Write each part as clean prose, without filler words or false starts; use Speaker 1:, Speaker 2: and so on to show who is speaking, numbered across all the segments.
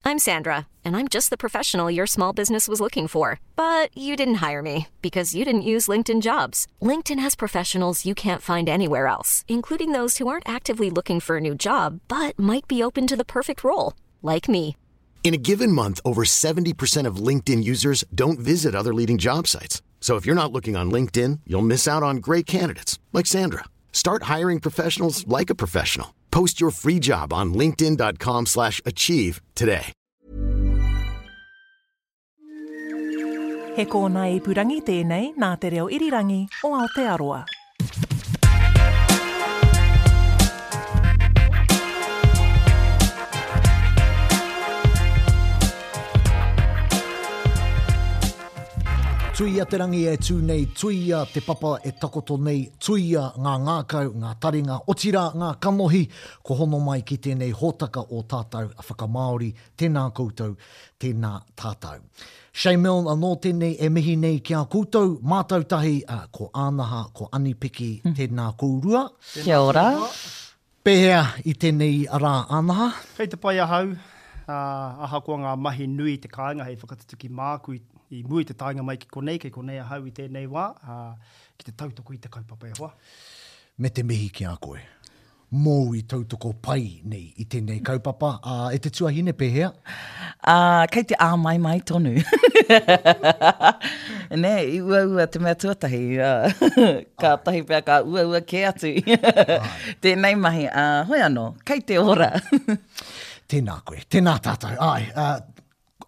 Speaker 1: I'm Sandra, and I'm just the professional your small business was looking for. But you didn't hire me because you didn't use LinkedIn jobs. LinkedIn has professionals you can't find anywhere else, including those who aren't actively looking for a new job but might be open to the perfect role, like me.
Speaker 2: In a given month, over 70% of LinkedIn users don't visit other leading job sites. So if you're not looking on LinkedIn, you'll miss out on great candidates like Sandra. Start hiring professionals like a professional. Post your free job on linkedin.com/achieve slash achieve today.
Speaker 3: He kōnae ipurangi tēnei nā Te Reo Irirangi o Aotearoa.
Speaker 4: Tuia te rangi e tū nei, tuia te papa e takoto nei, tuia ngā ngākau, ngā taringa, otirā ngā kanohi, ko hono mai ki tēnei hōtaka o tātou whakamāori, tēnā koutou, tēnā tātou. Shay Milne anō tēnei e mihi nei ki a koutou, mātou tahi, ko Ānaha, ko Anipiki, tēnā kourua.
Speaker 5: Kia ora.
Speaker 4: Pēhea i tēnei rā, Ānaha?
Speaker 6: Kei te pai ahau, ā, ahakoa ngā mahi nui i te kāinga hei whakatutuki māku i, i mua i te taenga mai ki konei, kei konei ahau i tēnei wā, ā, ki te tautoko i te kaupapa e hoa.
Speaker 4: Me te mihi ki a koe. Mōu i tautoko pai nei i tēnei kaupapa, ā, e te tuahine, pēhea?
Speaker 5: Ā, kei te āmaimai tonu. Nē, i uaua te mea tuatahi, ā, kātahi pea ka uaua kē atu tēnei mahi, ā, hoi anō, kei te ora.
Speaker 4: Tēnā koe, tēnā tātou, āe, ā,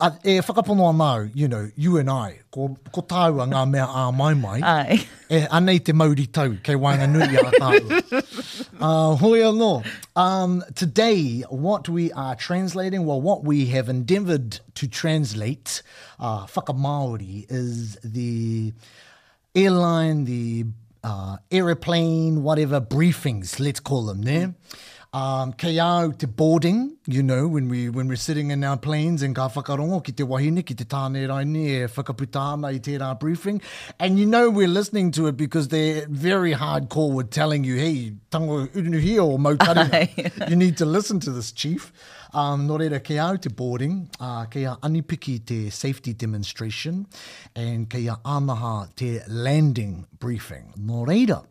Speaker 4: A, e whakapono ana au, you know, you and I, ko, ko tāua ngā mea āmaimai.
Speaker 5: Ai.
Speaker 4: E, anei te mauri tau kei waenganui i a tāua. Uh, hoi anō. Um, today, what we are translating, well, what we have endeavoured to translate, uh, whakamāori, is the airline, the uh, aeroplane, whatever, briefings, let's call them, ne? Um, kei a au te boarding, you know, when, we, when we're sitting in our planes and ka whakarongo ki te wahine, ki te tāne raini e whakaputa ana i tērā briefing. And you know we're listening to it because they're very hardcore with telling you, hey, tango urunuhia o mau taringa. you need to listen to this, chief. Um, nō reira, kei a au te boarding, uh, kei a Anipiki te safety demonstration, and kei a Anaha te landing briefing. Nō reira,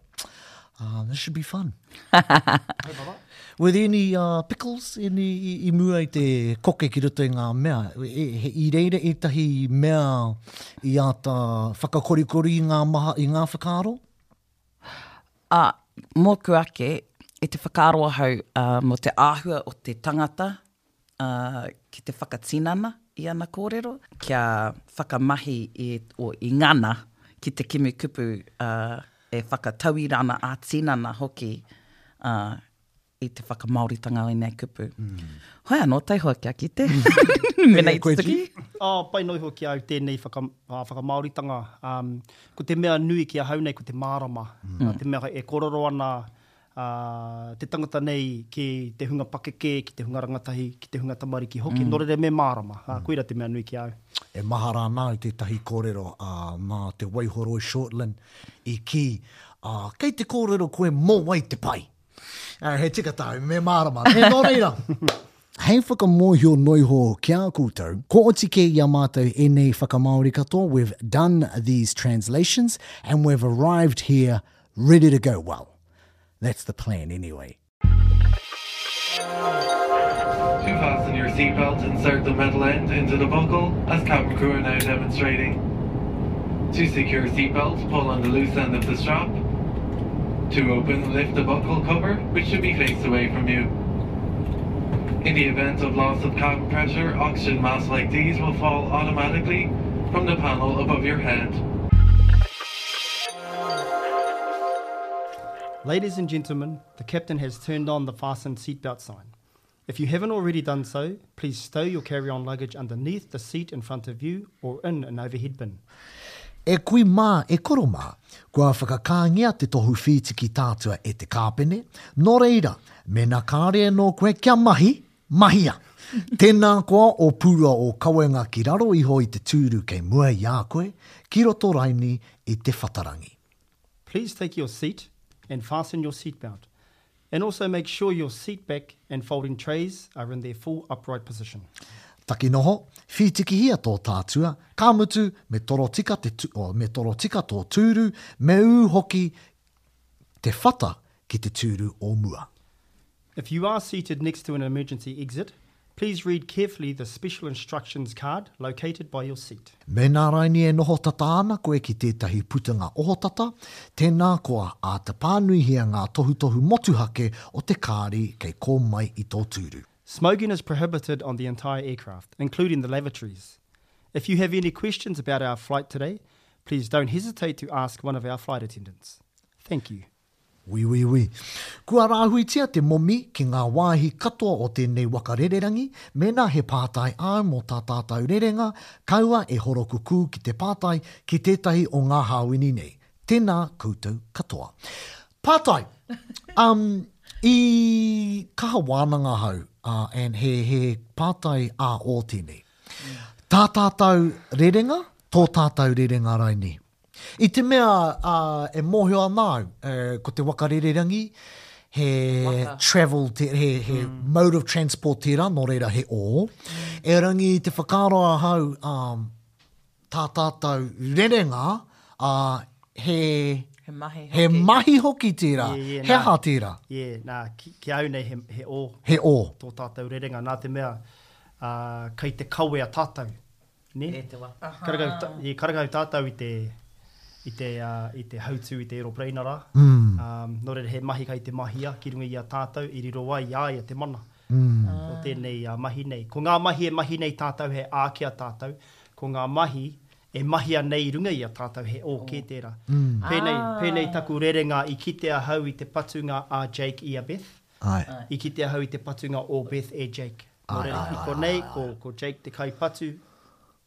Speaker 4: uh, this should be fun. Were there any uh, pickles any, i, i mua i te koke ki roto i ngā mea? E, he, i reira ētahi mea i āta whakakorikori i ngā, maha, i ngā whakaaro?
Speaker 5: Ā, mōku ake, i te whakaaro ahau mō te āhua o te tangata ki te whakatinana i ana kōrero, kia whakamahi i, o, i ngana ki te kimi kupu e whakatauira ana ā-tinana hoki i te whakamāoritanga o ēnei kupu. Hoi anō, taihoa kia kite. Mena i tutuki.
Speaker 6: Oh, pai noa iho ki a au tēnei whaka, whakamāoritanga. Um, ko te mea nui ki ahau nei ko te mārama. Mm. Te mea e kōrero ana uh, te tangata nei ki te hunga pakeke, ki te hunga rangatahi, ki te hunga tamariki hoki. Mm. Nō reira me mārama. Mm. Koira te mea nui ki a au.
Speaker 4: E mahara ana au tētahi kōrero uh, nā Te Waihoroi Shortland i kī, uh, kei te kōrero koe mō wai te pai. He tika tāu, me mārama. Me nō reira, hei whakamōhio noiho ki a koutou, kua oti kē i a mātou ēnei whakamāori katoa, we've done these translations and we've arrived here ready to go. Well, that's the plan anyway.
Speaker 7: To fasten your seatbelt, insert the metal end into the buckle, as cabin crew are now demonstrating. To secure seatbelt, pull on the loose end of the strap. To open, lift the buckle cover, which should be faced away from you. In the event of loss of cabin pressure, oxygen masks like these will fall automatically from the panel above your head.
Speaker 6: Ladies and gentlemen, the captain has turned on the fasten seatbelt sign. If you haven't already done so, please stow your carry-on luggage underneath the seat in front of you or in an overhead bin.
Speaker 4: E kui mā, e koro mā, kua whakakāngia te tohu whītiki tātua e te kāpene, nō reira, mēnā kāre anō koe kia mahi, mahia! Tēnā koa o purua o kawenga ki raro iho i te tūru kei mua i a koe, ki roto raini i te whatarangi.
Speaker 6: Please take your seat and fasten your seatbelt. And also make sure your seat back and folding trays are in their full upright position.
Speaker 4: Taki noho, whītikihia tō tātua, ka mutu, me toro tika te, oh, me toro tika tō tūru, me ū hoki te whata ki te tūru o mua.
Speaker 6: If you are seated next to an emergency exit, please read carefully the special instructions card located by your seat.
Speaker 4: Mēnā raini e noho tata ana koe ki tētahi putanga ohotata, tēnā koa āta pānuihia ngā tohutohu motuhake o te kāri kei kō mai i tō tūru.
Speaker 6: Smoking is prohibited on the entire aircraft, including the lavatories. If you have any questions about our flight today, please don't hesitate to ask one of our flight attendants. Thank you.
Speaker 4: Ui, ui, ui. Kua rāhuitia te momi ki ngā wāhi katoa o tēnei waka rererangi, mēnā he pātai āu mō tā tātou rerenga, kaua e horokukū ki te pātai ki tētahi o ngā hāwini nei. Tēnā koutou katoa. Pātai! Um, i kaha wānanga ahau, uh, and he, he pātai ā-ō tēnei. Tā tātou rerenga, tō tātou rerenga raini. I te mea uh, e mōhio ana au, uh, ko te waka rererangi, he waka. travel, te, he, he mm. mode of transport tērā, nō reira he ō. Mm. Erangi te whakaaro ahau, um, tā tātou rerenga, ā, he,
Speaker 5: He mahi hoki.
Speaker 4: He mahi hoki tērā.
Speaker 6: Yeah, yeah,
Speaker 4: he aha tērā?
Speaker 6: Yeah, nā, ki, ki au nei he, he ō.
Speaker 4: He ō.
Speaker 6: Tō tātou rerenga, nā te mea, ā, kei te kawea tātou. Nē?
Speaker 5: E te waka.
Speaker 6: Karekau, ta, yeah, karekau tātou i te, i te, uh, i te hautū i te aeroplane rā.
Speaker 4: Mm.
Speaker 6: Um, nō reira, he mahi kei te mahia ki runga i a tātou, i riro ai i a ia te mana. O tēnei mahi nei. Ko ngā mahi e mahi nei tātou he ā ki a tātou, ko ngā mahi e mahia nei i runga i a tātou he ō kē tērā. Pēnei, pēnei taku rerenga i kite ahau i te patunga a Jake i a Beth. I kite ahau i te patunga o Beth e Jake. Nō reira, i konei, ko, ko Jake te kaipatu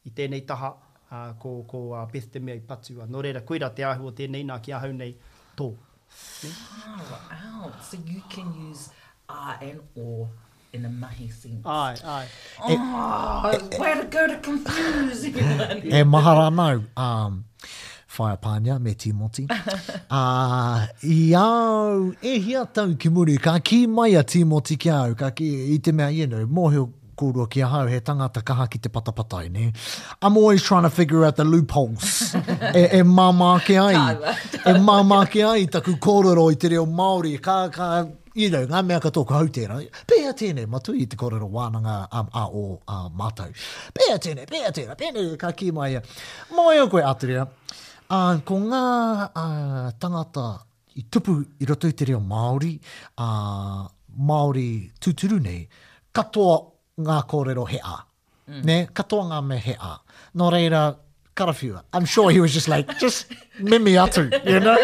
Speaker 6: i tēnei taha, ā, ko, ko Beth te mea i patua. Nō reira, koirā te āhua o tēnei nā ki ahau nei, tō.
Speaker 5: Far out. So you can use a and o in a mahi sense.
Speaker 6: Āe, āe.
Speaker 5: Oh, way to go to confuse everyone.
Speaker 4: E mahara ana au, um, Whaea Pānia me Tīmoti. Uh, i au, e hia tau ki muri, ka kī mai a Tīmoti ki a au, ka kī, i te mea, you know, mōhio kōrua ki ahau, he tangata kaha ki te patapatai, nē? I'm always trying to figure out the loopholes e, e māmā ake ai, e māmā ake ai taku kōrero i te reo Māori. Ka, ka, you know, ngā mea katoa ko hau tērā. Pēhea tēnei, matui i te kōrero wānanga um, a o uh, mātou. Pēhea tēnei, pēhea tērā, pēnei, ka kī mai ia. Mōhio koe, Aturia, uh, ko ngā uh, tangata i tupu i roto i te reo Māori, ā, Māori tūturu nei, katoa ngā kōrero he ā. Mm. Nē? Katoa ngā mea he ā. Nō reira, karawhiua. I'm sure he was just like, just mimi atu, you know?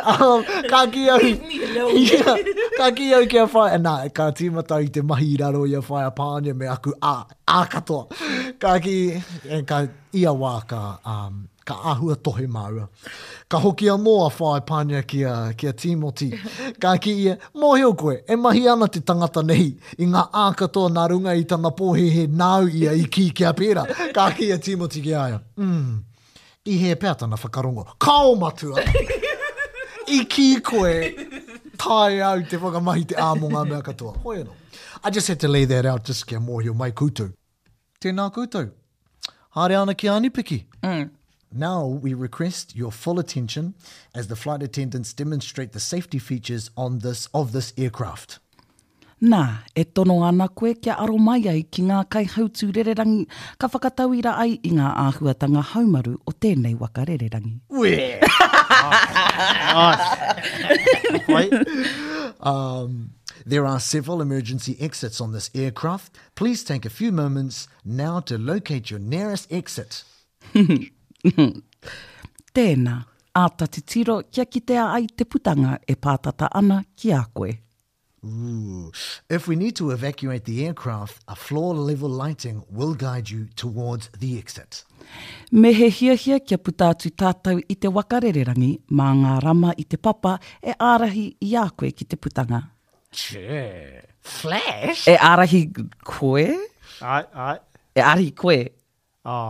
Speaker 4: Um, ka ki au, yeah, ka ki au ki a whaea, nā, ka tīmata i te mahi i raro i a whaea Pānia me aku ā, ā katoa. Ka ki, ka, ia wā ka, um, Ka āhua tohe māua. Ka hoki anō a Whaea Pānia ki a, ki a Tīmoti. Ka kī ia, Mōhio koe, e mahi ana te tangata nei i ngā ā katoa nā runga i tana pōhēhē nāu ia i kī kia pērā. Ka kī a Tīmoti ki a ia, Mm, i hē pea tana whakarongo. Kāo, matua! I kī koe, taea au te whakamahi te ā mō ngā mea katoa. Hoi anō. I just had to lay that out just kia mōhio mai koutou. Tēnā koutou. Haere ana ki Anipiki.
Speaker 5: Mm.
Speaker 4: Now we request your full attention as the flight attendants demonstrate the safety features on this, of this aircraft.
Speaker 5: Nā, e tono ana koe kia aro mai ai ki ngā kaihautū rererangi ka whakatauira ai i ngā āhuatanga haumaru o tēnei waka rererangi.
Speaker 4: Uē!
Speaker 6: Nice. Wait.
Speaker 4: Um, there are several emergency exits on this aircraft. Please take a few moments now to locate your nearest exit.
Speaker 5: Tēnā, āta titiro kia kitea ai te putanga e pātata ana ki a koe.
Speaker 4: Ooh. If we need to evacuate the aircraft, a floor level lighting will guide you towards the exit.
Speaker 5: Me he hiahia kia puta atu tātou i te waka rererangi mā ngā rama i te papa e ārahi i a koe ki te putanga.
Speaker 4: Che. Flash?
Speaker 5: E ārahi koe?
Speaker 6: Āe, āe.
Speaker 5: E ārahi koe?
Speaker 6: Ā.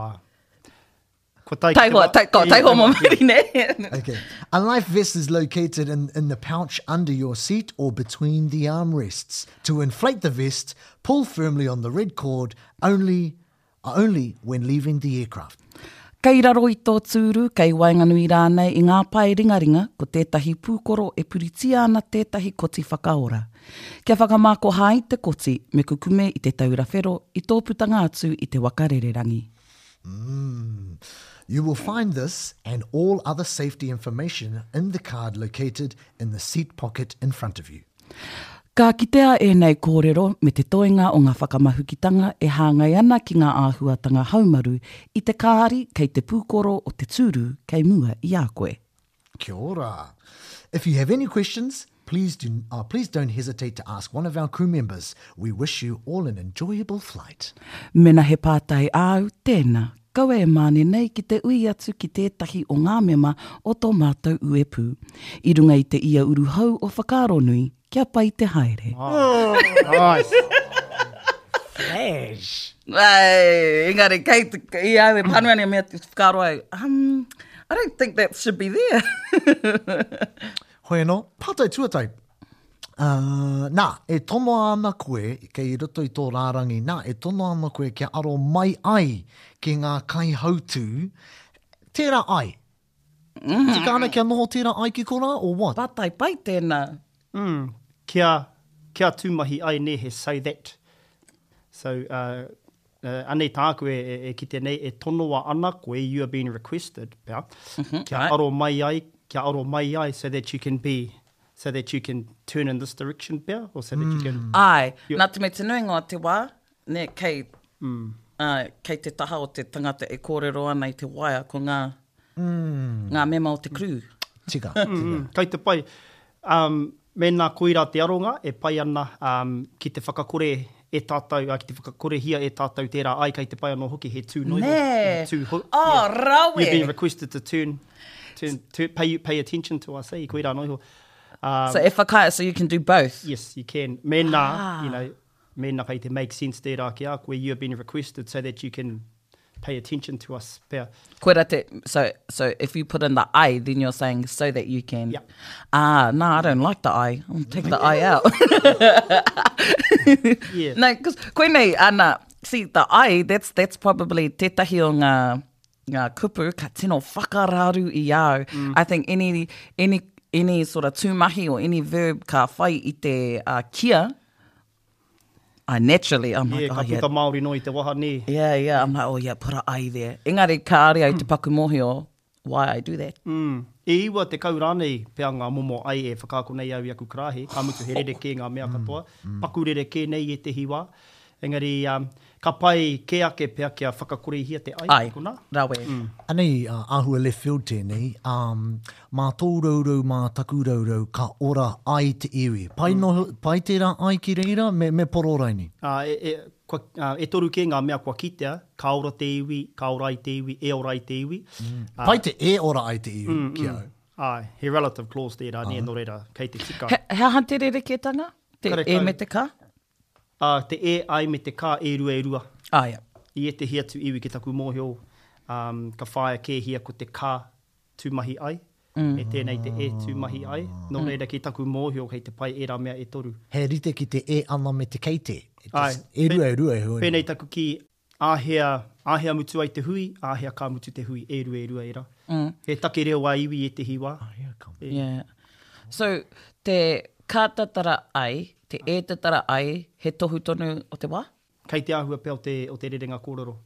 Speaker 6: Ko tai ki te
Speaker 5: Taihoa, tai, ko, taihoa mō muri, nē?
Speaker 4: Okay. A life vest is located in, in the pouch under your seat or between the armrests. To inflate the vest, pull firmly on the red cord only. Only when leaving the aircraft.
Speaker 5: Kei raro i tō tūru, kei waenganui rānei i ngā pae ringaringa ko tētahi pūkoro e puritia ana tētahi koti whakaora. Kia whakamākoha ai te koti, me kukume i te taura whero i tō putanga atu i te waka rererangi.
Speaker 4: Mm. You will find this and all other safety information in the card located in the seat pocket in front of you.
Speaker 5: Ka kitea ēnei kōrero me te toenga o ngā whakamahukitanga e hāngai ana ki ngā āhuatanga haumaru i te kāri kei te pūkoro o te tūru kei mua i a koe.
Speaker 4: Kia ora. If you have any questions, please, do, uh, please don't hesitate to ask one of our crew members. We wish you all an enjoyable flight.
Speaker 5: Mena he pātai āu, tēnā, kaua e māne nei ki te ui atu ki tētahi o ngā mema o tō mātou uepū. I runga i te ia uru hou o Whakaaronui, kia pai te haere.
Speaker 6: Nice.
Speaker 4: Flash.
Speaker 5: Ai, engari, kei te, i au e pānui ana i mea te whakaaro ai, um, I don't think that should be there.
Speaker 4: Hoi anō, pātai tuatai. Uh, nā, e tonoa ana koe, kei roto i tō rārangi, nā, e tonoa ana koe kia aro mai ai ki ngā kaihautū, tērā ai. Mm. Tika ana kia noho tērā ai ki korā, or what?
Speaker 5: Pātai pai tēnā.
Speaker 6: Mm, kia, kia tūmahi ai nē, he so that. So, uh, uh, anei tāku e, e, e kite nei, e tonoa ana koe, you are being requested, pea, mm -hmm, kia right. aro mai ai, kia aro mai ai so that you can be so that you can turn in this direction pea, or so that you can...
Speaker 5: Āe, nā te mea te nuinga o te wā, nē, kei, āe, kei te taha o te tangata e kōrero ana i te waea ko ngā, ngā mema o te crew.
Speaker 4: Tika, tika.
Speaker 6: Kei te pai. Um, mēnā koirā te aronga e pai ana um, ki te whakakore e tātou, ki te whakakorehia e tātou tērā ai, kei te pai anō hoki he tū noa iho.
Speaker 5: Nē!
Speaker 6: He tū ho,
Speaker 5: Oh,
Speaker 6: yeah.
Speaker 5: rawe!
Speaker 6: You've been requested to turn, turn, turn pay, pay attention to us, eh? Koirā noa iho.
Speaker 5: Um, so e whakaae, so you can do both?
Speaker 6: Yes, you can. Mēnā, ah. you know, mēnā kei te make sense tērā ki a koe, you have been requested so that you can pay attention to us pea.
Speaker 5: Koira te, so, so if you put in the I, then you're saying so that you can.
Speaker 6: Yeah.
Speaker 5: Ah, no, I don't like the I. I'll take the I out.
Speaker 6: yeah.
Speaker 5: No, because koinei, ana, see, the I, that's, that's probably tētahi o ngā, ngā kupu ka tino whakararu i au. Mm. I think any, any, any sort of tūmahi or any verb ka whai i te uh, kia, I naturally, I'm like,
Speaker 6: yeah,
Speaker 5: oh,
Speaker 6: ka puta Māori noa i te waha, nē.
Speaker 5: Yeah, yeah, I'm like, oh yeah, put a I there. Engari, kāre au te paku mōhio why I do that.
Speaker 6: Mm. E 90 rānei pea ngā momo ai e whakaako nei au i aku karāhe, ka mutu he rerekē ngā mea katoa, paku rerekē nei i ētehi wā. Engari, um, ka pai kē ake pea kia whakakorehia te ai,
Speaker 5: Ai,
Speaker 6: konā.
Speaker 5: rawe.
Speaker 4: Anei, uh, āhua left field tēnei, um, mā tō rourou, mā taku rourou, ka ora ai te iwi. Pai, mm. no, pai tērā ai ki reira, me, me poro raini?
Speaker 6: Uh, e, e, kua, uh, e toru kē ngā mea kua kitea, ka ora te iwi, ka ora ai te iwi, e ora ai te iwi.
Speaker 4: Mm. Uh, pai te e ora ai te iwi, mm, ki au.
Speaker 6: Mm. Ai, he relative clause tērā, nē, nō reira, kei te tika.
Speaker 5: He, he aha te rerekētanga? Te
Speaker 6: Karekau.
Speaker 5: e me te ka?
Speaker 6: Ā, te e, ai me te ka e rua e rua.
Speaker 5: Āe.
Speaker 6: I ētehi atu iwi ki taku mōhio, um, ka whāia kēhia ko te ka tūmahi ai, me tēnei te e tūmahi ai. Nō reira ki taku mōhio kei te pai ērā mea e toru.
Speaker 4: He rite ki te e ana me te kei te.
Speaker 6: Āe.
Speaker 4: E rua e rua e hua nei.
Speaker 6: Pēnei taku kī, āhea, āhea mutu ai te hui, āhea ka mutu te hui, e rua e rua ērā. He take reo ā-iwi ētehi wā.
Speaker 4: Āhea ka mutu.
Speaker 5: Yeah. So, te ka tatara ai, te e tatara ai, he tohu tonu o te wā?
Speaker 6: Kei te āhua pea o te, o te rerenga kōrero.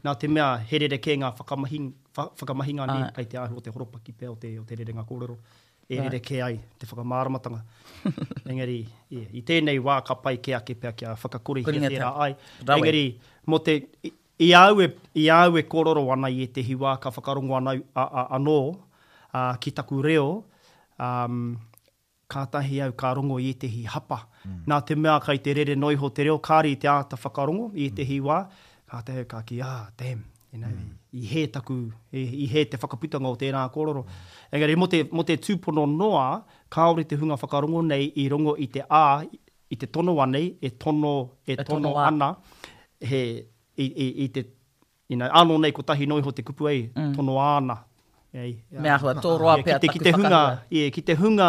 Speaker 6: Nā te mea he rerekē ngā whakamahi, wha, whakamahinga nē, kei te āhua o te horopaki pea o te, o te rerenga kōrero e
Speaker 5: Right.
Speaker 6: rerekē ai te whakamāramatanga. Engari, yeah, i tēnei wā ka pai kē ake pea kia whakakorehia
Speaker 5: Koringa
Speaker 6: tērā
Speaker 5: tau.
Speaker 6: ai.
Speaker 5: Rawe.
Speaker 6: Engari, mō te, i, i a au e, i a au e kōrero ana i ētehi wā ka whakarongo ana, a, a, anō ā, ki taku reo, um, Kātahi au ka rongo i ētehi hapa. Nā te mea kai te rere noa iho te reo, kāre i te āta whakarongo i ētehi wā, kātahi au ka kī, ah, damn, you know, i hē taku, i hē te whakaputanga o tērā kōrero. Engari mō te, mō te tūpono noa, kāore te hunga whakarongo nei i rongo i te a, i te tonoa nei, e tono, e tono ana, he, i, i, i te, You know, ānō nei kotahi noa iho te kupu ei, tonoa ana. Ei,
Speaker 5: Me āhua tōroa pea
Speaker 6: taku
Speaker 5: ki te
Speaker 6: hunga, yeah, ki te hunga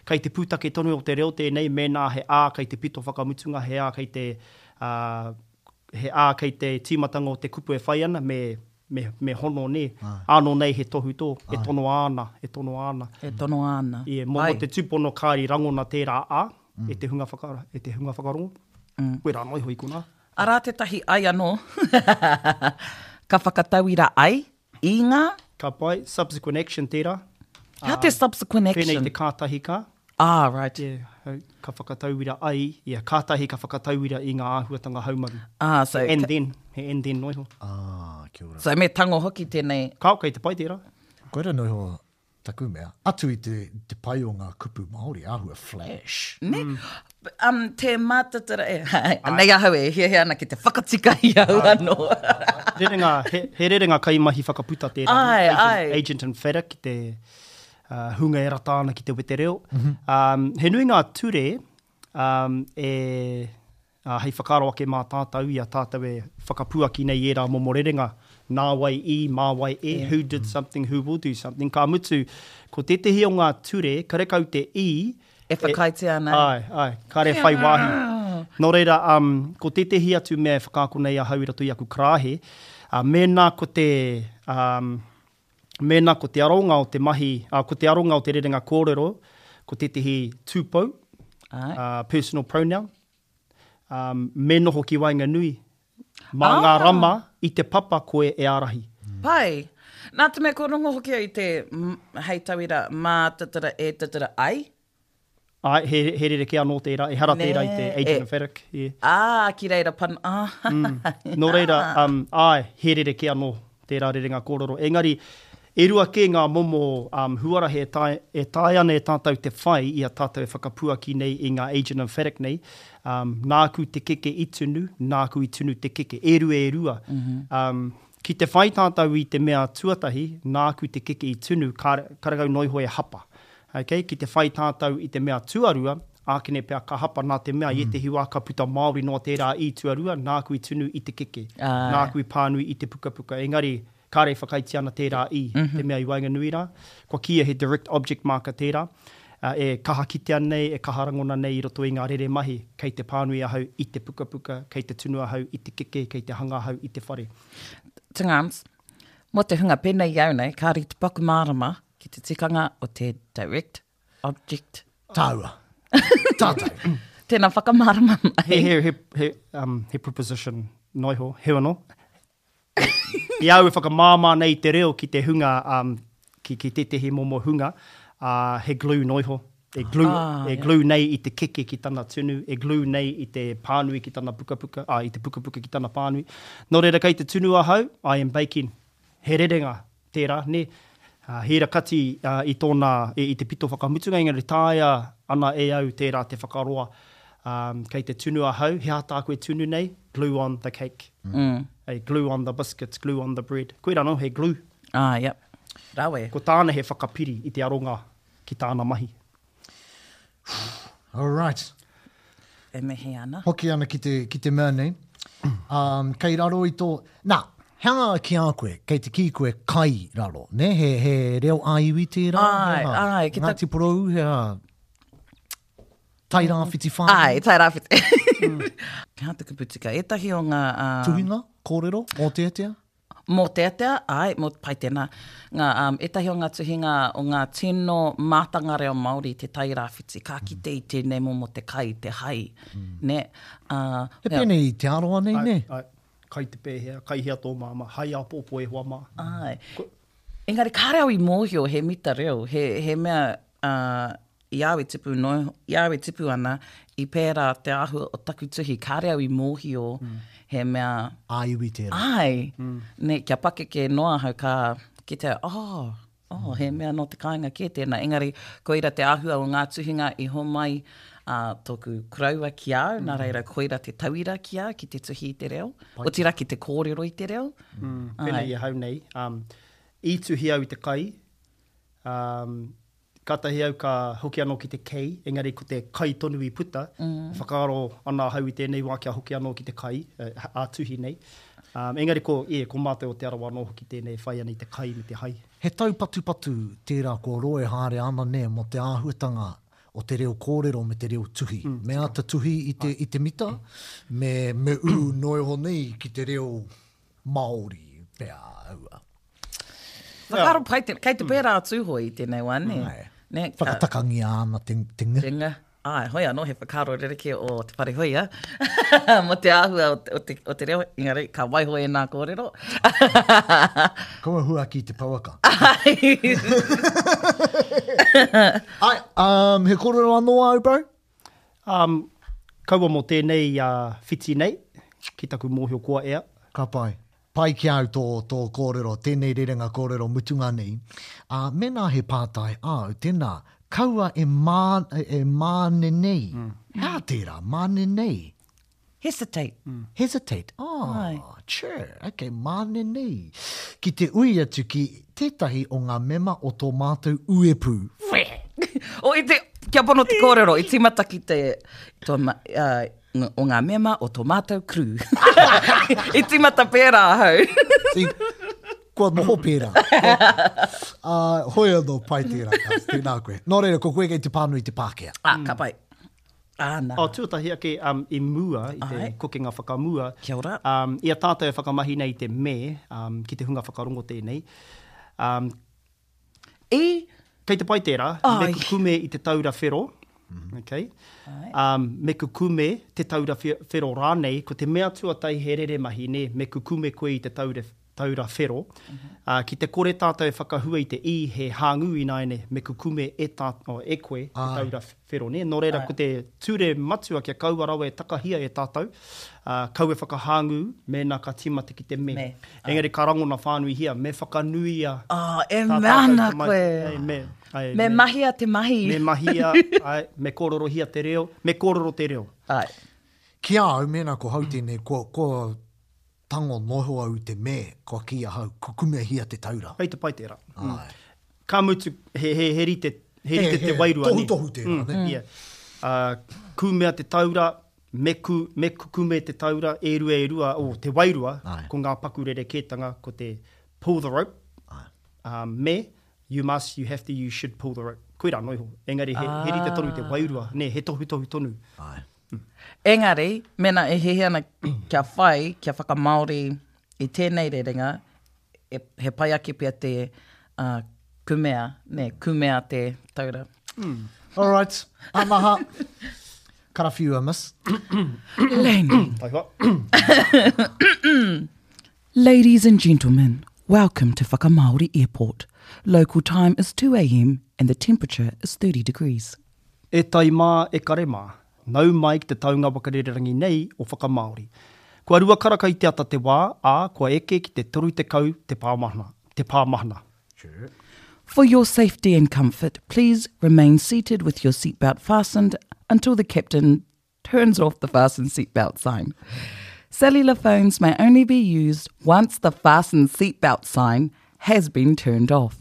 Speaker 6: kei te pūtake tonu o te reo tēnei, mēnā he A kei te pito whakamutunga, he A kei te, uh, he ā kei te tīmatanga o te kupu e whai ana, me, me, me hono, nē. Ānō nei he tohutō, e tonoa ana, e tonoa ana.
Speaker 5: E tonoa ana.
Speaker 6: Ie, mō, mō te tūpono kāri rangona tērā ā, e te hunga whaka, e te hunga whakarongo. Koirā noa iho i konā.
Speaker 5: Arā tētahi ai anō, ka whakatauira ai i ngā.
Speaker 6: Ka pai, subsequent action tērā.
Speaker 5: Hea te subsequent action?
Speaker 6: Pēnei te kātahi ka.
Speaker 5: Ah, right.
Speaker 6: Yeah, ka whakatauira ai, yeah, kātahi ka whakatauira i ngā āhuatanga haumaru.
Speaker 5: Ah, so.
Speaker 6: He and then, he and then noa iho.
Speaker 4: Ah, kia ora.
Speaker 5: So me tango hoki tēnei.
Speaker 6: Kāo, kei te pai tērā.
Speaker 4: Koira noa iho Taku mea, atu i te, te pai o ngā kupu Māori, āhua flash.
Speaker 5: Ne? Mm. Um, te mātatara, e, anei ahau e hiahia ana ki te whakatika i au anō.
Speaker 6: rerenga, he, he rerenga kaimahi whakaputa tērā.
Speaker 5: Ai,
Speaker 6: agent,
Speaker 5: ai.
Speaker 6: Agent and Whera ki te uh, hunga e rata ana ki te wetereo. Mm -hmm. um, he nui ngā ture um, e Ā, hei whakaaro ake mā tātou i a tātou e whakapuaki nei i ērā momo rerenga, nā wai i, mā wai e, who did something, who will do something, ka mutu, ko tētehi o ngā ture, karekau te i,
Speaker 5: E whakaaetia ana.
Speaker 6: Āe, āe, kāre e whai wāhi. Nō reira, um, ko tētehi atu mea e whakaako nei ahau i roto i aku karāhe, ā, mēnā ko te, um, mēnā ko te aronga o te mahi, ā, ko te aronga o te rerenga kōrero, ko tētehi tūpou, ā, personal pronoun, ā, me noho ki waenganui, mā ngā rama i te papa koe e ārahi.
Speaker 5: Pai. Nā te mea kua rongo hoki au i te, hei tauira, mā tatara e tatara ai.
Speaker 6: Āe, he, he rerekē anō tērā, ehara tērā i te agent emphatic, yeah.
Speaker 5: Ā, ki reira pan, ā.
Speaker 6: Mm. Nō reira, um, āe, he rerekē anō tērā rerenga kōrero. Engari, e rua kē ngā momo um, huarahi e tae, e taea ana e tātou te whai i a tātou e whakapuaki nei i ngā agent emphatic nei, um, nāku te keke i tunu, nāku i tunu te keke, e rua e rua. Mm -hmm. um, ki te whai tātou i te mea tuatahi, nāku te keke i tunu, karekau noa iho e hapa. Okay, ki te whai tātou i te mea tuarua, ākene pea ka hapa nā te mea i ētehi wā ka puta Māori noa tērā i tuarua, nāku i tunu i te keke, nāku i pānui i te pukapuka. Engari, kāre e whakaaetia ana tērā i te mea i waenganui rā. Kua kīia he direct object marker tērā, e kaha kitea nei, e kaha rangona nei i roto i ngā rere mahi, kei te pānui ahau i te pukapuka, kei te tunu ahau i te keke, kei te hanga ahau i te whare.
Speaker 5: Tungāns, mō te hunga pēnei i au nei, kāre i te paku mārama Ki te tikanga o te direct object.
Speaker 4: Tāua. Tātou.
Speaker 5: Tēnā whakamārama mai.
Speaker 6: He, he, he, he, um, he preposition noa iho, heu anō. I au e whakamāmā nei te reo ki te hunga, um, ki, ki tētehi momo hunga, uh, he glue noa iho. E glue, ah, e glue nei i te keke ki tana tunu, e glue nei i te pānui ki tana pukapuka, ah, i te pukapuka ki tana pānui. Nō reira kei te tunu ahau, I am baking. He rerenga tērā, nē. He ira kati i tōna, i te pito whakamutunga, engari taea ana e au tērā te whakaroa. Kei te tunu ahau, he aha tāku e tunu nei? Glue on the cake. Hey, glue on the biscuits, glue on the bread. Koirā anō, he glue.
Speaker 5: Ah, yep. Rawe.
Speaker 6: Ko tāna he whakapiri i te aronga ki tāna mahi.
Speaker 4: All right.
Speaker 5: E mihi ana.
Speaker 4: Hoki ana ki te, ki te mea nei. Um, kei raro i tō... Nā, he aha ki a koe, kei te kī koe kai raro, ne? He, he reo ā-iwi tērā?
Speaker 5: Āe, āe.
Speaker 4: Ki ta... Ngāti Porou, he aha? Tairāwhiti whānui?
Speaker 5: Āe, Tairāwhiti. He aha te kupu tika? Ētahi o ngā... Uh...
Speaker 4: Tuhinga, kōrero, mōteatea?
Speaker 5: Mōteatea, āe, mō, pai tēnā. Ngā, um, ētahi o ngā tuhinga o ngā tino mātanga reo Māori te Tai Rāwhiti, ka kite i tēnei momo te kai, te hai, mm. nē.
Speaker 4: Uh, He pēnei i Te Arawa nei, nē?
Speaker 6: Ai, kai te pēhea, kai hea tō māmā, hai āpōpō e hoa mā.
Speaker 5: Āe. Ko... Engari kāre au i mōhio he mita reo, he, he mea, uh, i a au e tipu no, i a au e tipu ana, i pērā te āhua o taku tuhi, kāre au i mōhio he mea...
Speaker 4: Ā-iwi tērā.
Speaker 5: Āe, nē, kia pakeke noa ahau ka kite au, oh, oh, he mea nō te kāinga kē tēnā. Engari, koira te āhua o ngā tuhinga i homai a tōku koroua ki a au, nā reira koira te tauira ki a au ki te tuhi i te reo, otirā ki te kōrero i te reo.
Speaker 6: Pēnei i ahau nei, i tuhi au i te kai, Kātahi au ka hoki anō ki te kei, engari ko te kai tonu i puta. Mm. Whakaaro ana ahau i tēnei wā kia hoki anō ki te kai, ā-tuhi nei. Um, engari ko, yeah, ko mātou o Te Arawa anō hoki tēnei e whai ana i te kai me te hai.
Speaker 4: He taupatupatu tērā kua roa e haere ana nē mō te āhuatanga o te reo kōrero me te reo tuhi. Mm. Me āta tuhi i te, i te mita, me, me ū noa iho nei ki te reo Māori pea aua.
Speaker 5: Whakaaro pai te, kei te pērā a Tūhoe i tēnei wā, nē?
Speaker 4: Āe.
Speaker 5: Nē, ka-
Speaker 4: Whakatakangia ana te, te ng.
Speaker 5: Te ng. Āe, hoi anō he whakaaro rerekē o Te Whare Huia mō te āhua o te, o te, o te reo, engari ka waiho ēnā kōrero.
Speaker 4: Kaua huaki te pouaka.
Speaker 5: Āe.
Speaker 4: Āe, um, he kōrero anō āu, bro?
Speaker 6: Um, kaua mō tēnei uh, whiti nei, ki taku mōhio kua ea.
Speaker 4: Ka pai. Pai ki a au tō, tō kōrero, tēnei rerenga kōrero mutunga nei. Ā, mēnā he pātai āu, tēnā, kaua e mā, e mānenei. He aha tērā, mānenei?
Speaker 5: Hesitate.
Speaker 4: Hesitate. Ah, sure, okay, mānenei. Ki te ui atu ki tētahi o ngā mema o tō mātou uepū.
Speaker 5: O, i te, kia pono te kōrero, i tīmata ki te, tō, uh, o ngā mema o tō mātou crew. I tīmata pērā ahau.
Speaker 4: See, kua noho pērā. Uh, hoi anō, pai tērā, Kaz, tēnā koe. Nō reira, ko koe kei te pānui te Pākehā.
Speaker 5: Ah, ka pai. Āna.
Speaker 6: Oh, tuatahi ake, um, i mua, i te
Speaker 5: Ai.
Speaker 6: kokenga whakamua,
Speaker 5: Kia ora.
Speaker 6: um, i a tātou e whakamahi nei i te me, um, ki te hunga whakarongo tēnei, um,
Speaker 5: I?
Speaker 6: Kei te pai tērā, me kukume i te taura whero, okay? Um, me kukume te taura whero rānei, ko te mea tuatahi he reremahi, nē, me kukume koe i te taura, taura whero. Uh, ki te kore tātou e whakahua i te i, he hāngū ināiane, me kukume e, tā, oh, e koe te taura whero, nē. Nō reira, ko te ture matua kia kaua rawa e takahia e tātou, ā, kaua e whakahāngū mēnā ka tīmata ki te me.
Speaker 5: Me,
Speaker 6: Engari ka rangona whānuihia, me whakanuia
Speaker 5: Oh, e
Speaker 6: tā
Speaker 5: mea
Speaker 6: tātou
Speaker 5: ana
Speaker 6: tamaiti.
Speaker 5: koe.
Speaker 6: Ei, me, ai,
Speaker 5: Me
Speaker 6: me.
Speaker 5: mahia te mahi.
Speaker 6: Me mahia, ai, me kōrorohia te reo, me kōrero te reo.
Speaker 5: Ai.
Speaker 4: Ki a au, mēnā ko hau tēnei, kua, kua tango noho au i te me, kua kī ahau, kukumehia te taura.
Speaker 6: Kei te pai tērā.
Speaker 4: Āe.
Speaker 6: Ka mutu, he, he, he rite, he rite te wairua, nē.
Speaker 4: Tohutohu tērā, nē.
Speaker 6: Mm, yeah. Uh, kūmea te taura, me, ku, me kukume te taura, e rua, e rua, oh, te wairua,
Speaker 4: Āe.
Speaker 6: ko ngā paku rerekētanga, ko te pull the rope,
Speaker 4: Āe.
Speaker 6: um, me, you must, you have to, you should pull the rope. Koirā noa iho. Engari, he, he rite tonu te wairua, nē, he tohutohu tonu.
Speaker 4: Āe.
Speaker 5: Engari, mēnā e hiahia ana kia whai, kia whakamāori i tēnei rerenga, e, he pai ake pea te uh, kumea, nē, kumea te taura.
Speaker 4: All right, Anaha. Karawhiua, miss.
Speaker 5: Landing.
Speaker 6: Taihoa.
Speaker 5: Ladies and gentlemen, welcome to Whakamāori Airport. Local time is 2am and the temperature is 30 degrees.
Speaker 6: E tai mā, e kare mā, nau mai ki te taunga wakarererangi nei o Whakamāori. Kua rua karaka i te ata te wā, ā, kua eke ki te 30 te pāmahana, te pāmahana.
Speaker 5: For your safety and comfort, please remain seated with your seatbelt fastened until the captain turns off the fasten seatbelt sign. Cellular phones may only be used once the fasten seatbelt sign has been turned off.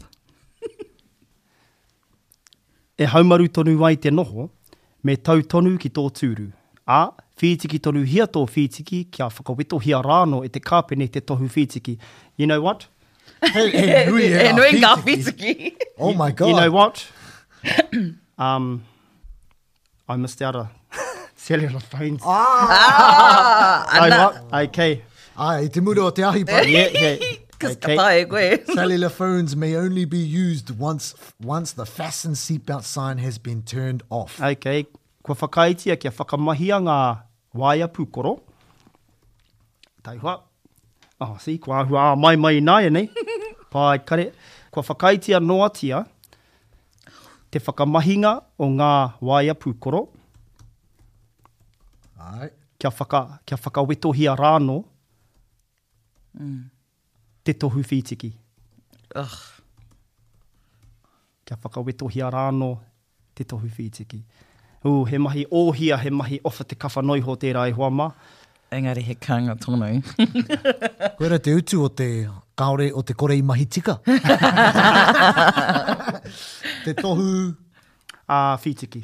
Speaker 6: E haumaru tonu ai te noho, me tau tonu ki tō tūru, ā, whītiki tonuhia tō whītiki kia whakawetohia rānō e te kāpene te tohu whītiki. You know what?
Speaker 4: He, he nui e
Speaker 5: He nui ngā whītiki.
Speaker 4: Oh my God.
Speaker 6: You know what? um, I missed out a cellular phones.
Speaker 5: Ah,
Speaker 6: Ai
Speaker 5: ana.
Speaker 6: what? Okay.
Speaker 4: Ai, i te mura o te ahi pai.
Speaker 6: Yeah, yeah.
Speaker 5: Kas
Speaker 6: Okay.
Speaker 5: ka tae koe.
Speaker 4: Cellular phones may only be used once once the fasten seatbelt sign has been turned off.
Speaker 6: Okay. Kua whakaaetia kia whakamahia ngā waea pūkoro. Taihoa. Oh, see, kua āhua ā mai mai ināianei. Pai kare. Kua whakaaetia noatia te whakamahinga o ngā waea pūkoro.
Speaker 4: Ai.
Speaker 6: Kia, whaka, kia whakawetohia rānō te tohu whītiki.
Speaker 5: Ugh.
Speaker 6: Kia whakawetohia rānō te tohu whītiki. Ooh, he mahi ōhia, he mahi owha te kawha noiho tērā e hoa mā.
Speaker 5: Engari he kānga tonu.
Speaker 4: Koira te utu o te kāore o te kore i mahi tika. te tohu...
Speaker 6: Ā, whītiki.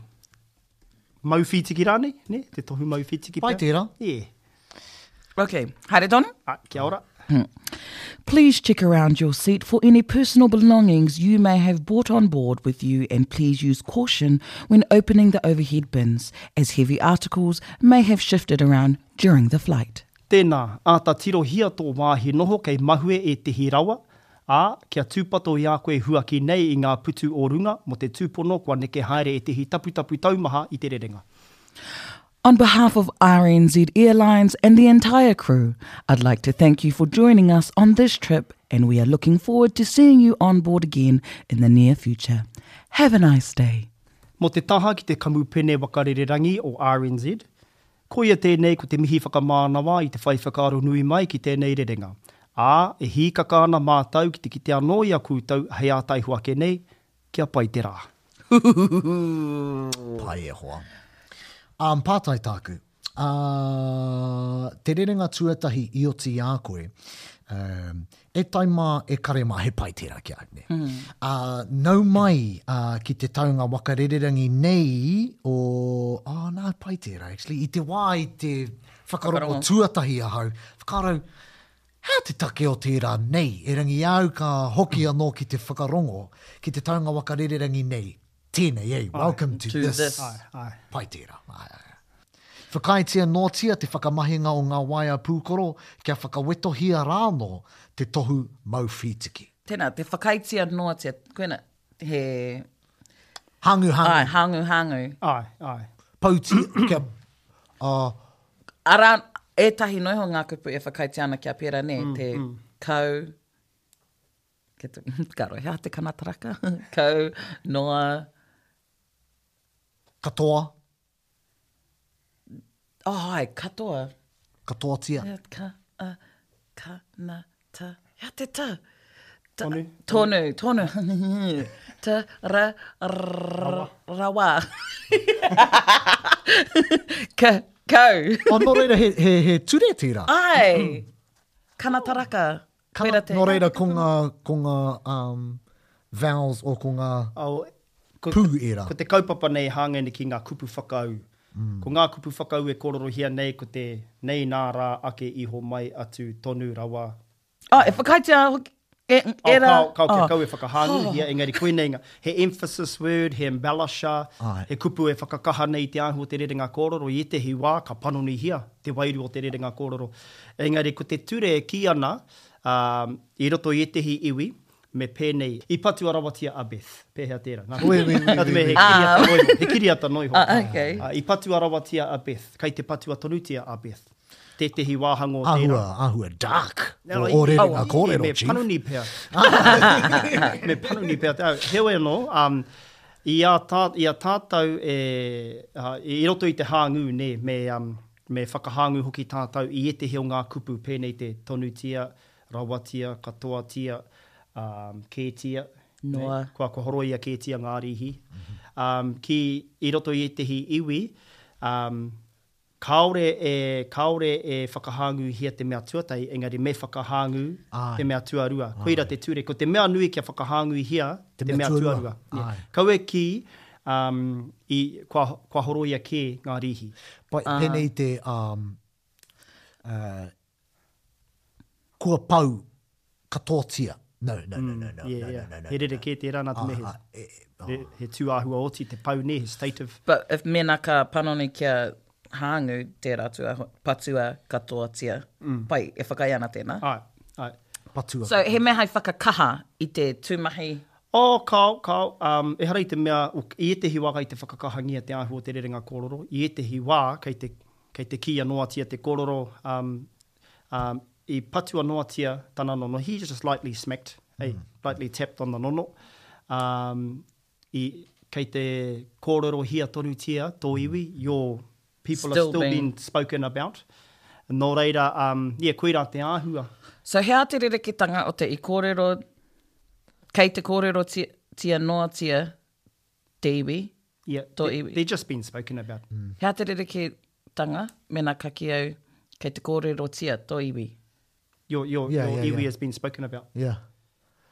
Speaker 6: Mau whītiki rānei, ne? Te tohu mau whītiki
Speaker 4: Pai
Speaker 6: pea.
Speaker 4: tērā.
Speaker 6: Yeah.
Speaker 5: Ok, haere tonu?
Speaker 6: Ah, kia ora.
Speaker 5: Please check around your seat for any personal belongings you may have brought on board with you and please use caution when opening the overhead bins, as heavy articles may have shifted around during the flight.
Speaker 6: Tēnā, āta tirohia tō wāhi noho kei mahue ētehi rawa, ā, kia tūpato i a koe huaki nei i ngā putu o runga mō te tūpono kua neke haere ētehi taputapu taumaha i te rerenga.
Speaker 5: On behalf of RNZ Airlines and the entire crew, I'd like to thank you for joining us on this trip and we are looking forward to seeing you on board again in the near future. Have a nice day.
Speaker 6: Mō te taha ki te kamupene waka rererangi o RNZ, koia tēnei ko te mihi whakamānawa i te whai whakaaro nui mai ki tēnei rerenga, ā, e hīkaka ana mātou ki te kite anō i a koutou hei ātaiho ake nei, Kia pai te rā.
Speaker 4: Pai e hoa. Um, pātai tāku. Uh, te rerenga tuatahi i oti i a koe, um, e tai mā, e kare mā, he pai tērā ki a au, nē. Mm. Uh, nau mai uh, ki te taunga waka rererangi nei o, oh, nā, pai tērā, actually. I te wā i te whakarongo tuatahi ahau, whakaaro, Hea te take o tērā nei, erangi au ka hoki anō ki te whakarongo ki te taunga waka rererangi nei, tēnei, ei, welcome to, to this. this.
Speaker 6: Ai, ai.
Speaker 4: Pai tērā. Ai, ai. Whakaaetia noatia te whakamahinga o ngā waea pūkoro kia whakawetohia rānō te tohu mau whītiki.
Speaker 5: Tēnā, te whakaaetia noatia, koina, he...
Speaker 4: Hāngu, hāngu.
Speaker 5: Ai, hāngu, hāngu.
Speaker 6: Ai, ai.
Speaker 4: Pouti, kia... Uh,
Speaker 5: Arā ētahi noa iho ngā kupu e whakaaetia ana kia pērā, nē, te kau, ke te, ka rohe, he aha te kanataraka? Kau, noa.
Speaker 4: Katoa.
Speaker 5: Oh, ai, katoa.
Speaker 4: Katoatia.
Speaker 5: Ka, a, ka, na, ta, hea te ta?
Speaker 6: Tonu.
Speaker 5: Tonu, tonu. Ta, ra, r, rawa. Ka, kau.
Speaker 4: Oh, nō reira, he, he, he ture tērā.
Speaker 5: Ai! Kanataraka.
Speaker 4: Kana, nō reira, ko ngā, ko ngā um, vowels o ko ngā
Speaker 6: oh, ko,
Speaker 4: pū ērā.
Speaker 6: Ko te kaupapa nei hāngai nei ki ngā kupu whakaū. Mm. Ko ngā kupu whakaū e kōrorohia nei ko te nei nā rā ake iho mai atu tonu rawa
Speaker 5: Oh, e whakaaetia hoki, e,
Speaker 6: Oh,
Speaker 5: era.
Speaker 6: kao, kao, kia
Speaker 5: oh.
Speaker 6: kau e whakahānguhia, engari koinei ngā, he emphasis word, he embellisher,
Speaker 4: Āe.
Speaker 6: he kupu e whakakaha nei i te āhua o te rerenga kōrero, i ētehi wā ka panonihia te wairua o te rerenga kōrero. Engari ko te ture e kī ana, ā, i roto i ētehi iwi, me pēnei, i patua rawatia a Beth. Pēhea tērā? Nā,
Speaker 4: Oui, oui, oui,
Speaker 6: nā te mea he
Speaker 4: oui, oui.
Speaker 6: kiriata noa iho, he kiriata noa iho.
Speaker 5: Ah, okay.
Speaker 6: Ā, i patua rawatia a Beth, kei te patua tonutia a Beth. Tētehi wāhanga o tērā.
Speaker 4: Āhua, āhua dark
Speaker 6: No,
Speaker 4: o ō rerenga
Speaker 6: i-
Speaker 4: kōrero,
Speaker 6: me
Speaker 4: Chief.
Speaker 6: panoni pea. Me panoni pea. Heoi anō, um, i a, tā, i a tātou e, uh, i roto i te hāngū, nē, me, um, me whakahāngū hoki tātou i ētehi o ngā kupu pēnei te tonutia, rawatia, katoatia, um, kētia,
Speaker 5: Noa.
Speaker 6: nē, kua, kua horoia kētia ngā rīhi. Um, ki, i roto i ētehi iwi, um, Kāore e, kāore e whakahāngūhia te mea tuatahi, engari me whakahāngū
Speaker 4: Āe.
Speaker 6: te mea tuarua. Koira te ture. Ko te mea nui kia whakahāngūhia
Speaker 4: Te
Speaker 6: te
Speaker 4: mea
Speaker 6: mea
Speaker 4: tuarua.
Speaker 6: tuarua. Yeah.
Speaker 4: Āe.
Speaker 6: Kaua e kī, um, i, kua, kua horoia kē ngā rīhi.
Speaker 4: Pai, pēnei te, um, uh, kua pau katoatia. No, no, no, no, no,
Speaker 6: Yeah,
Speaker 4: no,
Speaker 6: yeah.
Speaker 4: no, no, no.
Speaker 6: He rerekē tērā nā te mea he,
Speaker 4: Ah, ah, e, e, oh.
Speaker 6: he, he tūāhua oti te pau nē, he state of...
Speaker 5: But if mēnā ka panoni kia hāngū tērā atu, patua katoatia, pai, e whakaae ana tēnā.
Speaker 6: Āe, āe.
Speaker 4: Patua.
Speaker 5: So he mea hai whakakaha i te tūmahi.
Speaker 6: Oh, kāo, kāo, um, ehara i te mea, i ētehi wā kei te whakakahangia te āhua o te rerenga kōrero, i ētehi wā kei te, kei te kīia noatia te kōrero, um, um, i patua noatia tana nono, he just lightly smacked, hey, lightly tapped on the nono, um, i, kei te kōrerohia tonutia tō iwi, your people
Speaker 5: Still
Speaker 6: are still
Speaker 5: being-
Speaker 6: being spoken about. Nō reira, um, yeah, koirā te āhua.
Speaker 5: So he aha te rereketanga o te i kōrero, kei te kōrerotia noatia te iwi,
Speaker 6: Yeah,
Speaker 5: tō
Speaker 6: they,
Speaker 5: iwi?
Speaker 6: they're just being spoken about.
Speaker 5: He aha te rereketanga mēnā ka kī au kei te kōrerotia tō iwi?
Speaker 6: Your, your,
Speaker 4: Yeah,
Speaker 6: your
Speaker 4: yeah,
Speaker 6: iwi
Speaker 4: yeah.
Speaker 6: has been spoken about.
Speaker 4: Yeah.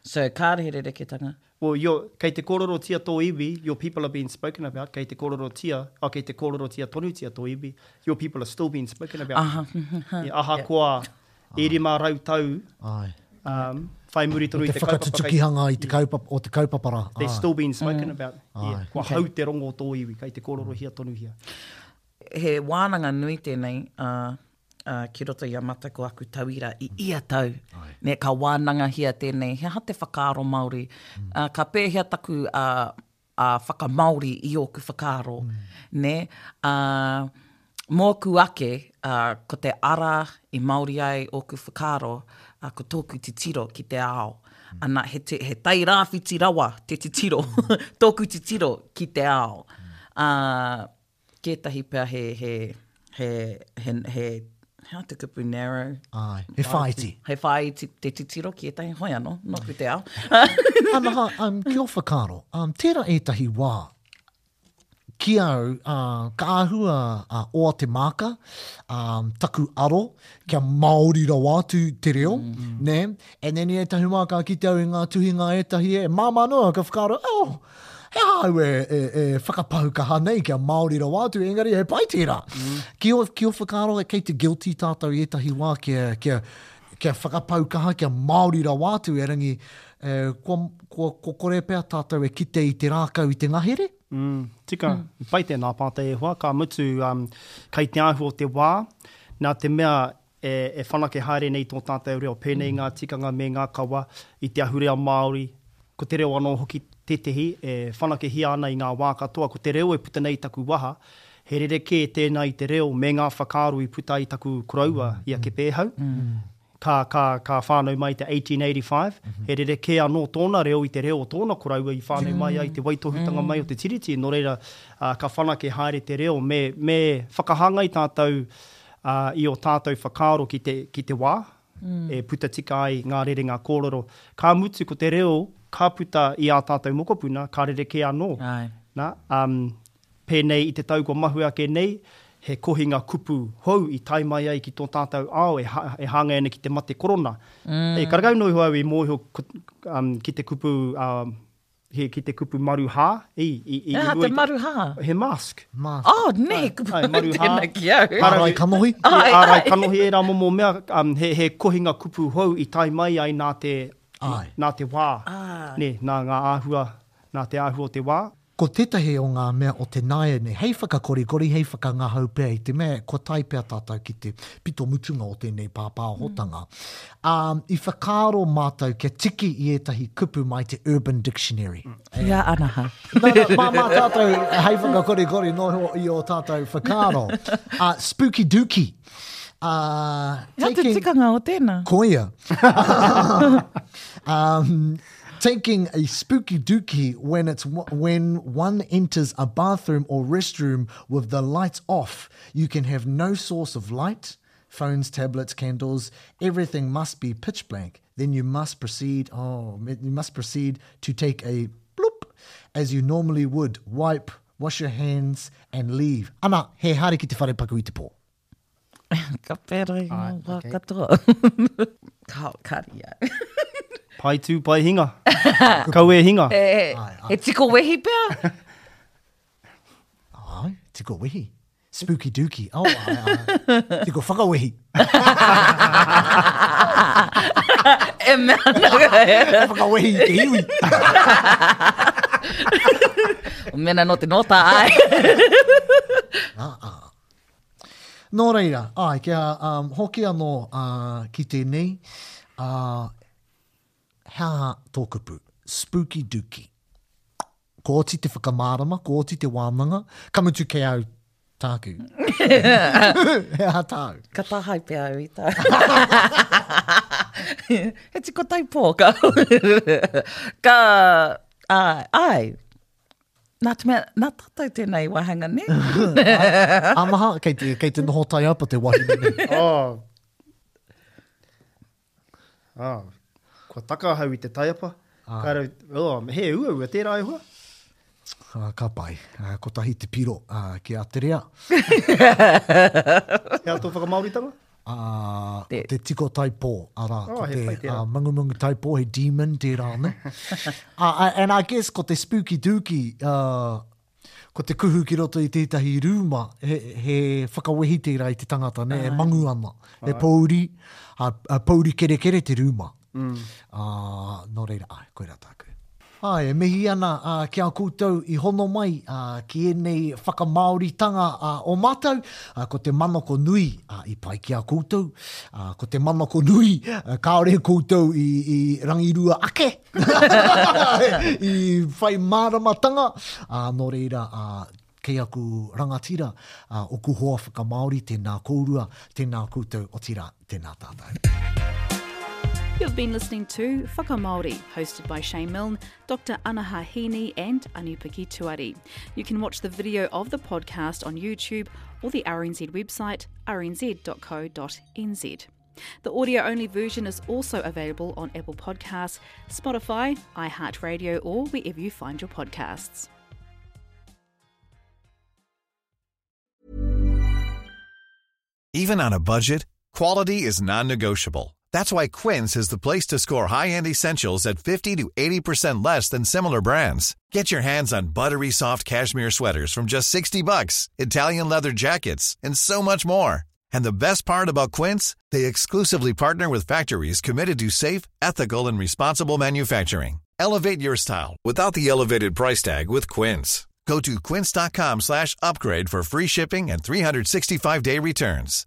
Speaker 5: So kāre he rereketanga?
Speaker 6: Well, your, kei te kōrerotia tō iwi, your people are being spoken about, kei te kōrerotia, oh, kei te kōrerotia tonutia tō iwi, your people are still being spoken about.
Speaker 5: Aha.
Speaker 6: Yeah, ahakoa, e 500 tau
Speaker 4: Ai.
Speaker 6: Um, whai muri tonu
Speaker 4: i
Speaker 6: te kaupapa.
Speaker 4: Te whakatutukihanga i te kaupapa, o te kaupapa rā.
Speaker 6: They're still being spoken about. Yeah. Kua hau te rongo o tō iwi, kei te kōrorohia tonuhia.
Speaker 5: He wānanga nui tēnei, ā, ā, ki roto i a mātou ko aku tauira i ia tau. Nē, ka wānangahia tēnei, he aha te whakaaro Māori? Ā, ka pēhea taku, ā, ā, whakamāori i ōku whakaaro, nē? Ā, mōku ake, ā, ko te ara i Māori ai ōku whakaaro, ā, ko tōku titiro ki te ao. Ana, he, te, he tairāwhiti rawa te titiro, tōku titiro ki te ao. Ā, kētahi pea he, he, he, he, he, he aha te kupu narrow?
Speaker 4: Āe, he whāiti.
Speaker 5: He whāiti te titiro ki ētahi, hoi anō, nōku te ao.
Speaker 4: Anaha, um, ki ō whakaaro, um, tērā ētahi wā, ki au, ā, ka āhua ā, oa te māka, ā, taku aro, kia Māori rawa atu te reo, mm. nē? And then i ētahi wā ka kite au i ngā tuhinga ētahi e māmā noa, ka whakaaro, oh, he aha au e, e, e whakapau kaha nei kia Māori rawa atu, engari he pai tērā. Mm. Ki o, ki o whakaaro, kei te guilty tātou i ētahi wā kia, kia, kia whakapau kaha, kia Māori rawa atu, erangi, e, kua, kua, kua kore pea tātou e kite i te rākau i te ngahere?
Speaker 6: Mm, tika, mm. pai tēnā pātai e hoa, ka mutu um, kei te āhua o te wā, nā te mea e, e whanake haere nei tō tātou reo, pēnei mm. ngā tikanga me ngā kawa i te ahurea Māori, ko te reo anō hoki tētehi e whanakehia ana i ngā wā katoa, ko te reo e puta nei i taku waha, he rerekē tēnā i te reo me ngā whakaaro i puta i taku koroua i a Kepēhau. Mm. Ka, ka, ka whānau mai i te 1885, he rerekē anō tōna reo i te reo o tōna koroua i whānau mai ai te waitohutanga mai o te Tiriti, nō reira, ā, ka whanake haere te reo, me, me whakahāngai tātou, ā, i ō tātou whakaaro ki te, ki te wā, e puta tika ai ngā rerenga kōrero. Ka mutu ko te reo ka puta i ā tātou mokopuna, ka rerekē anō.
Speaker 5: Āe.
Speaker 6: Nā, ā, Pēnei i te tau kua mahue ake nei, he kohinga kupu hou i tae mai ai ki tō tātou ao e, e hāngai ana ki te mate korona. Mm. E, karekau noa iho au i mōhio ki te kupu, uh, he, ki te kupu maruhā. I, i, i,
Speaker 5: He aha te maruhā?
Speaker 6: He mask.
Speaker 4: Mask.
Speaker 5: Oh, ne, he kupu ai, maruhā. Tēnā ki au.
Speaker 4: Ārai kanohi.
Speaker 6: Ai, ārai kanohi, ērā momo mea, um, he, he kohinga kupu hou i tae mai ai nā te, ai. nā te wā. Ah. Ne, nā ngā āhua, nā te āhua o te wā.
Speaker 4: Ko tētahi o ngā mea o te nāianei hei whakakorikori, hei whakangahau pea i te mea kua tae pea tātou ki te pito mutunga o tēnei pāpāhotanga, ā, i whakaaro mātou kia tiki i ētahi kupu mai te Urban Dictionary.
Speaker 5: Kia anaha.
Speaker 4: Nā, nā, mā, mā tātou hei whakakorikori noa iho i ō tātou whakaaro. Ā, spooky dooky. Ā,
Speaker 5: He aha te tikanga o tēnā?
Speaker 4: Koia. Um, Taking a spooky dookie when it's when one enters a bathroom or restroom with the lights off. You can have no source of light, phones, tablets, candles, everything must be pitch blank. Then you must proceed, oh, you must proceed to take a bloop as you normally would. Wipe, wash your hands and leave. Ana, he haere ki te whare paku i te pō.
Speaker 5: Ka pērā i ngā wā katoa. Ka, kari au.
Speaker 6: Pai tū, pai hinga. Kau e hinga.
Speaker 5: He tiko wehi pea?
Speaker 4: Ai, tiko wehi. Spooky dooky. Oh, ai, ai. Tiko whakawehi.
Speaker 5: E mea ana.
Speaker 4: Whakawehi i te iwi.
Speaker 5: Mena no te nōta, ai.
Speaker 4: Ah, ah. Nō reira, āe, kia um, hoki anō uh, ki tēnei, uh, he aha tō kupu? Spooky dooky. Ko oti te whakamārama, ko oti te wānanga, ka mutu kei au tāku. he aha tāu?
Speaker 5: Ka tāhae pea au i tā. he tiko taipō, ka. ka, āe, āe, Nā te mea, nā tātou tēnei wāhanga, nē?
Speaker 4: Anaha, kei te, kei te noho taiapa te wahine nei.
Speaker 6: Oh. Oh. Kua taka ahau i te taiapa. Ah. Ka rau, oh, he uaua tērā e hoa.
Speaker 4: Ah, ka pai. Ah, kotahi te piro ah, ki a Te Rea.
Speaker 6: He aha tō whakamāoritanga?
Speaker 4: Ā, ko te tiko taipō, arā, ko te mangumangu taipō, he demon tērā, ne? Ā, and I guess ko te spooky dooky, ko te kuhu ki roto i tētahi rūma, he, he whakawehi tērā i te tangata, ne, e mangu ana, he pōuri, ā, pōuri kerekere te rūma. Ā, nō reira, āe, koirā tāku. Āe, e mihi ana ki a koutou i hono mai ki ēnei whakamāoritanga o mātou. Ko te manako nui i pai ki a koutou. Ko te manako nui kāore koutou i rangirua ake, i whai māramatanga. Nō reira, kei aku rangatira, oku hoa whakamāori, tēnā kōrua, tēnā koutou, otirā, tēnā tātou.
Speaker 8: You've been listening to Whakamāori, hosted by Shane Milne, Dr Anaha Hiini and Anipiki Tuari. You can watch the video of the podcast on YouTube or the RNZ website, rnz.co.nz. The audio-only version is also available on Apple Podcasts, Spotify, iHeartRadio or wherever you find your podcasts.
Speaker 9: Even on a budget, quality is non-negotiable. That's why Quince is the place to score high-end essentials at 50 to 80% less than similar brands. Get your hands on buttery soft cashmere sweaters from just $60, Italian leather jackets, and so much more. And the best part about Quince, they exclusively partner with factories committed to safe, ethical, and responsible manufacturing. Elevate your style without the elevated price tag with Quince. Go to quince.com/upgrade for free shipping and 365-day returns.